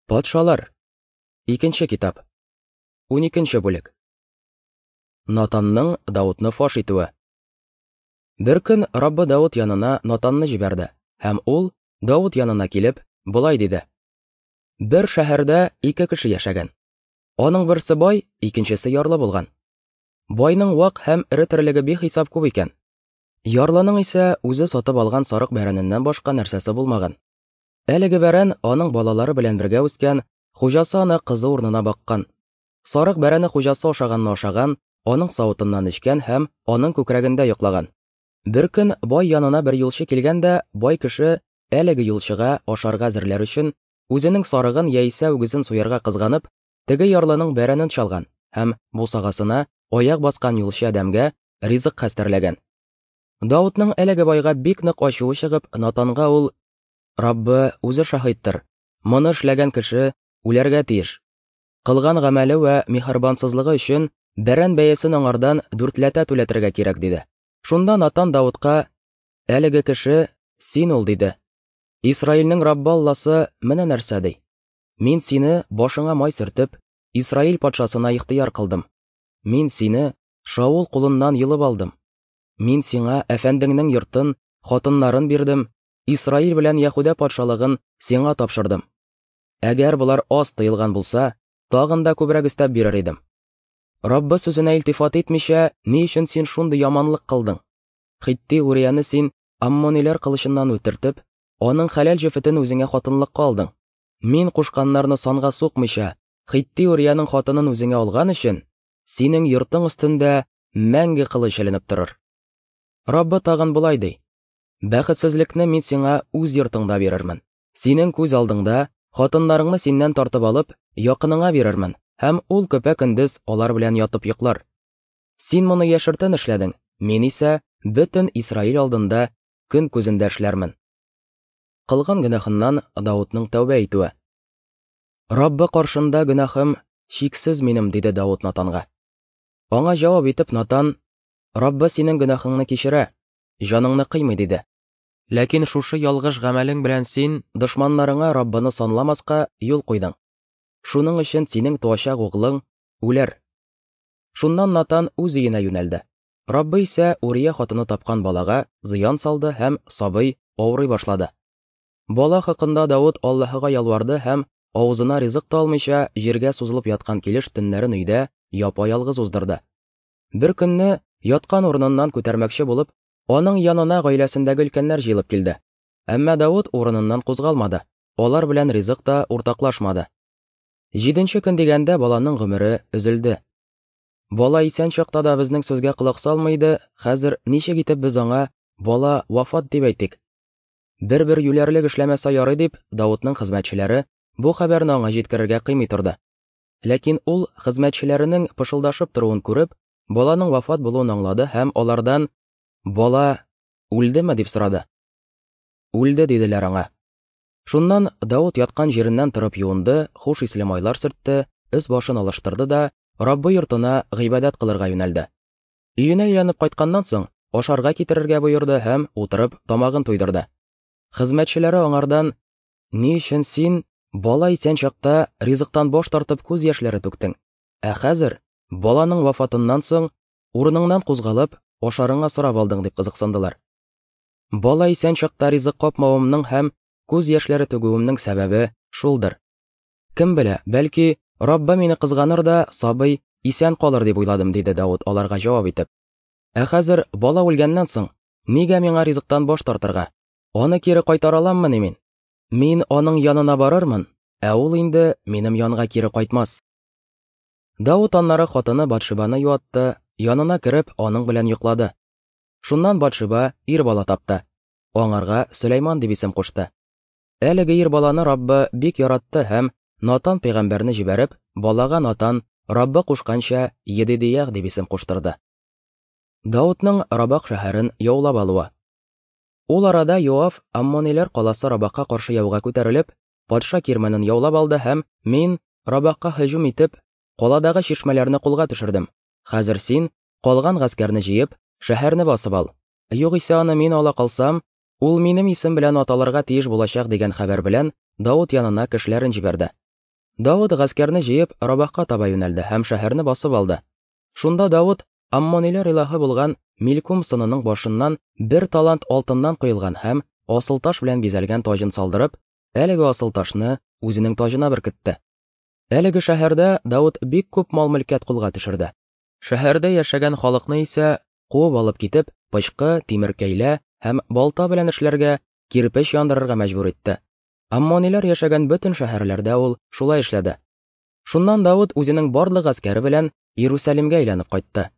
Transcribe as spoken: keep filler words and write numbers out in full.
Патшалар. Икенче китап. Уникенче бүлек. Натанның Даутны фаш итүе. Бер көн Раббы Даут янына Натанны җибәрде, һәм ул Даут янына килеп, болай диде: Бер шәһәрдә ике кеше яшәгән. Аның берсе бай, икенчесе ярлы булган. Байның вак һәм эре терлеге бихисап күп икән. Ярлының исә үзе сатып алган сарык бәрәненнән башка нәрсәсе булмаган. Әлеге бәрән аның балалары белән бергә үскән, хуҗасы аны кызы урынына баккан. Сарык бәрәне хуҗасы ашаганны ашаган, аның савытыннан эчкән һәм аның күкрәгендә йоклаган. Бер көн бай янына бер юлчы килгән дә, бай кеше әлеге юлчыга ашарга әзерләр өчен үзенең сарыгын яисә үгезен суярга кызганып, теге ярлының бәрәнен чалган һәм бусагасына аяк баскан юлчы адәмгә ризык хәстәрләгән. Даутның әлеге байга бик нык ачуы чыгып, Натанга ул: Раббы үзе шаһиттыр, моны эшләгән кеше үләргә тиеш. Кылган гамәле вә миһербансызлыгы өчен бәрән бәясен аңардан дүртләтә түләтергә кирәк, диде. Шунда Натан Даутка: Әлеге кеше син ул, диде. Исраилнең Раббы Алласы менә нәрсә ди: Мин сине башыңа май сөртеп, Исраил патшасына ихтыяр кылдым. Мин сине Шаул кулыннан йолып алдым. Мин сиңа әфәндеңнең йортын, хатыннарын бирдем, Исраил белән Яһүдә патшалыгын сиңа тапшырдым. Әгәр болар аз тыелган булса, тагын да күбрәк өстәп бирер идем. Раббы сүзенә илтифат итмичә, ни өчен син шундый яманлык кылдың? Хитти Урияны син аммониләр кылычыннан үтертеп, аның хәләл җефетен үзеңә хатынлыкка алдың. Мин кушканнарны санга сукмыйча, Хитти Урияның хатынын үзеңә алган өчен, синең йортың өстендә мәңге кылыч эленеп торыр. Раббы тагын болай ди: Бәхетсезлекне мин сиңа үз йортыңда бирермен. Синең күз алдыңда хатыннарыңны синнән тартып алып, якыныңа бирермен, һәм ул көпә-көндез алар белән ятып йоклар. Син моны яшертен эшләдең, мин исә бөтен Исраил алдында көн күзендә эшләрмен. Кылган гөнаһыннан Даутның тәүбә итүе. Раббы каршында гөнаһым чиксез минем, диде Даут Натанга. Аңа җавап итеп Натан: Раббы синең гөнаһыңны кичерә, җаныңны кыймый, диде. Ләкин шушы ялгыш гамәлең белән син дошманнарыңа Раббыны санламаска юл куйдың. Шуның өчен синең туачак углың үләр. Шуннан Натан үз өенә юнәлде. Раббы исә Урия хатыны тапкан балага зыян салды һәм сабый авырый башлады. Бала хакында Даут Аллаһыга ялварды һәм авызына ризык та алмыйча җиргә сузылып яткан килеш төннәрен өйдә япа-ялгыз уздырды. Бер көнне яткан урыныннан күтәрмәкче булып, аның янына гаиләсендәге өлкәннәр җыелып килде. Әмма Даут урыныннан кузгалмады, алар белән ризык та уртаклашмады. Җиденче көн дигәндә баланың гомере өзелде. Бала исән чакта да безнең сүзгә колак салмый иде, хәзер ничек итеп без аңа бала вафат дип әйтик? Бер-бер юләрлек эшләмәсә ярый дип, Даутның хезмәтчеләре бу хәбәрне аңа җиткерергә кыймый торды. Ләкин ул хезмәтчеләренең пышылдашып торуын күреп, баланың вафат булуын аңлады һәм алардан: Бала үлдеме, дип сорады. Үлде, диделәр аңа. Шуннан Даут яткан җиреннән торып юынды, хуш исле майлар сөртте, өс башын алыштырды да Раббы йортына гыйбадәт кылырга юнәлде. Өенә әйләнеп кайтканнан соң, ашарга китерергә боерды һәм утырып тамагын туйдырды. Хезмәтчеләре аңардан: Ни өчен син бала исән чакта ризыктан баш тартып күз яшьләре түктең, ә хәзер баланың вафатыннан соң урыныңнан кузгалып, ашарыңа сорап алдың, дип кызыксындылар. Бала исән чакта ризык капмавымның һәм күз яшьләре түгүемнең сәбәбе шулдыр. Кем белә, бәлки Раббы мине кызганыр да сабый исән калыр дип уйладым, диде Даут аларга җавап итеп. Ә хәзер бала үлгәннән соң, нигә миңа ризыктан баш тартырга? Аны кире кайтара аламмыни мин? Мин аның янына барырмын, ә ул инде минем янга кире кайтмас. Даут аннары хатыны Батшибаны юатты, янына кереп аның белән йоклады. Шуннан Батшиба ир бала тапты. Аңарга Сөләйман дип исем кушты. Әлеге ир баланы Раббы бик яратты һәм Натан пәйгамбәрне җибәреп, балага Натан Раббы кушканча Едидиях дип исем куштырды. Даутның Рабах шәһәрен яулап алуы. Ул арада Йоав аммониләр каласы Рабахка каршы яуга күтәрелеп, патша кирмәнен яулап алды һәм: Мин Рабахка һөҗүм итеп, каладагы чишмәләрне кулга төшердем. Хәзер син калган гаскәрне җыеп, шәһәрне басып ал. Югыйсә аны мин ала калсам, ул минем исем белән аталырга тиеш булачак, дигән хәбәр белән Даут янына кешеләрен җибәрде. Давыт гаскәрне җыеп Рабахка таба юнәлде һәм шәһәрне басып алды. Шунда Давыт аммониләр илаһы булган Милкум сынының башыннан бер талант алтыннан коелган һәм асыл таш белән бизәлгән таҗын салдырып, әлеге асыл ташны үзенең таҗына беркетте. Әлеге шәһәрдә Давыт бик күп мал-мөлкәт кулга төшерде. Шәһәрдә яшәгән халыкны исә куып алып китеп, пычкы, тимер кәйлә һәм балта белән эшләргә, кирпеч яндырырга мәҗбүр итте. Аммониләр яшәгән бөтен шәһәрләрдә ул шулай эшләде. Шуннан Давыт үзенең барлык гаскәре белән Иерусалимгә әйләнеп кайтты.